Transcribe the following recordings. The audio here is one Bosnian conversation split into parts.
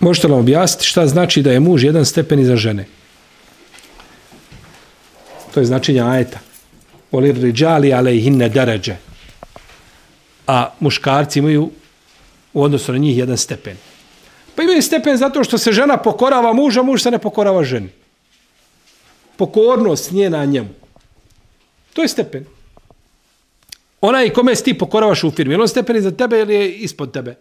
Možete li objasniti šta znači da je muž jedan stepen iza žene? To je značenje ajeta. Olir riđali alejhinne deređe. A muškarci imaju u odnosu na njih jedan stepen. Pa imaju stepen zato što se žena pokorava muža, muž se ne pokorava ženi. Pokornost njena njemu. To je stepen. Onaj kome si ti pokoravaš u firmi, je li on stepen iza tebe ili je ispod tebe?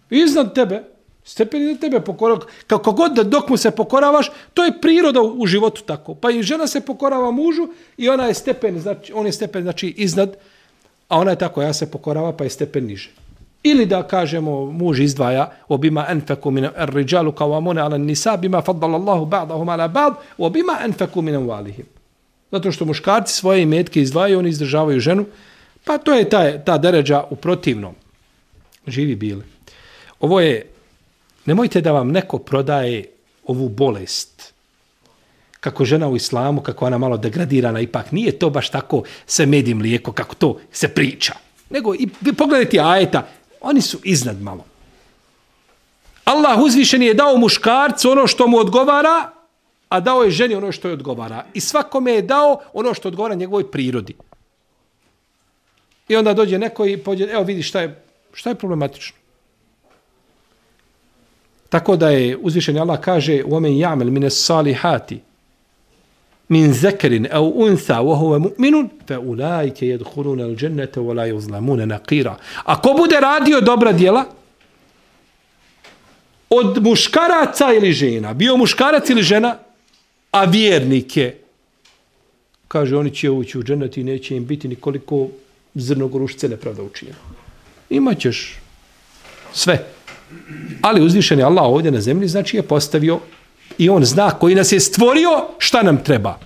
Iznad tebe. Stepen iza tebe pokorava. Kako god da dok mu se pokoravaš, to je priroda u životu tako. Pa i žena se pokorava mužu i ona je stepen, znači, on je stepen znači iznad, a ona je tako, ja se pokorava pa je stepen niže. Ili da kažemo muž izdvaja obima anfaku min ar-rijalu qawwamuna 'ala an-nisa bima faddala Allahu ba'dahum 'ala ba'd wa bima anfaku min amwalihim. Zato što muškarci svoje imetke izdvajaju, oni izdržavaju ženu, pa to je ta deređa u protivnom. Živi bili. Ovo je, nemojte da vam neko prodaje ovu bolest. Kako žena u islamu, kako ona malo degradirana, ipak nije to baš tako se med i mlijeko, kako to se priča. Nego, i pogledajte ajeta, oni su iznad malo. Allah uzvišeni je dao muškarcu ono što mu odgovara, a dao je ženi ono što je odgovara. I svakome je dao ono što odgovara njegovoj prirodi. I onda dođe neko i pođe, evo vidi šta je problematično. Tako da je uzvišeni Allah kaže وَمَنْ يَعْمَلْ مِنَ الصَّالِحَاتِ مِنْ ذَكَرٍ أَوْ أُنْثَى وَهُوَ مُؤْمِنٌ فَأُولَٰئِكَ يَدْخُلُونَ الْجَنَّةَ وَلَا يُظْلَمُونَ نَقِيرًا. Ako bude radio dobra djela od muškaraca ili žena, bio muškarac ili žena, a vjernike, kaže, oni će ući u džennet i neće im biti nikoliko zrnogorušce nepravda učinjeno. Imaćeš sve. Ali uzvišeni Allah ovdje na zemlji, znači je postavio i on zna koji nas je stvorio šta nam treba.